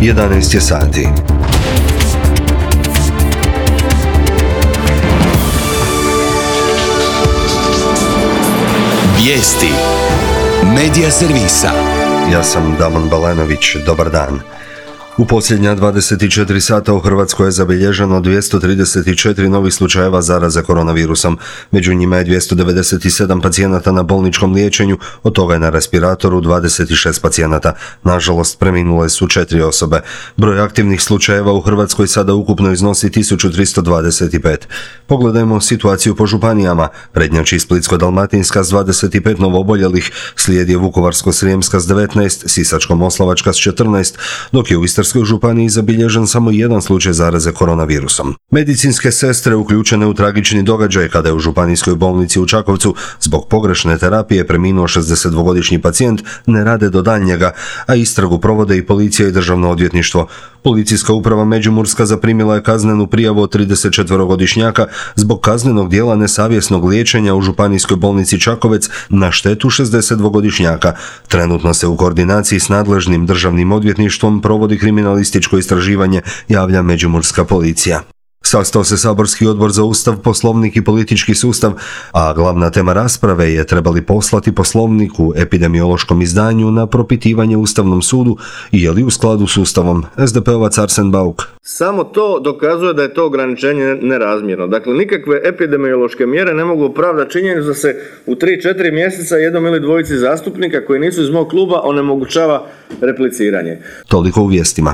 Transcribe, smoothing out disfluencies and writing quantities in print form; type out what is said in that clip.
11 je sati. Vijesti Medija servisa. Ja sam Damon Balenović, dobar dan. U posljednja 24 sata u Hrvatskoj je zabilježeno 234 novih slučajeva zaraze koronavirusom. Među njima je 297 pacijenata na bolničkom liječenju, od toga je na respiratoru 26 pacijenata. Nažalost, preminule su 4 osobe. Broj aktivnih slučajeva u Hrvatskoj sada ukupno iznosi 1325. Pogledajmo situaciju po županijama. Prednjači Splitsko-dalmatinska s 25 novooboljelih, slijedi Vukovarsko-srijemska s 19, Sisačko-moslavačka s 14, dok je u Istarskoj županiji zabilježen samo jedan slučaj zaraze koronavirusom. Medicinske sestre uključene u tragični događaj kada je u županijskoj bolnici u Čakovcu zbog pogrešne terapije preminuo 62-godišnji pacijent ne rade do daljnjega, a istragu provode i policija i državno odvjetništvo. Policijska uprava Međimurska zaprimila je kaznenu prijavu od 34-godišnjaka zbog kaznenog dijela nesavjesnog liječenja u županijskoj bolnici Čakovec na štetu 62-godišnjaka. Trenutno se u koordinaciji s nadležnim državnim odvjetništvom provodi kriminalističko istraživanje, javlja Međimurska policija. Sastao se saborski odbor za Ustav, Poslovnik i politički sustav, a glavna tema rasprave je trebali poslati poslovnik u epidemiološkom izdanju na propitivanje Ustavnom sudu i je li u skladu s Ustavom. SDP-ovac Arsen Bauk. Samo to dokazuje da je to ograničenje nerazmjerno. Dakle, nikakve epidemiološke mjere ne mogu opravdati činjenicu da se u 3-4 mjeseca jednom ili dvojici zastupnika koji nisu iz mog kluba onemogućava repliciranje. Toliko u vijestima.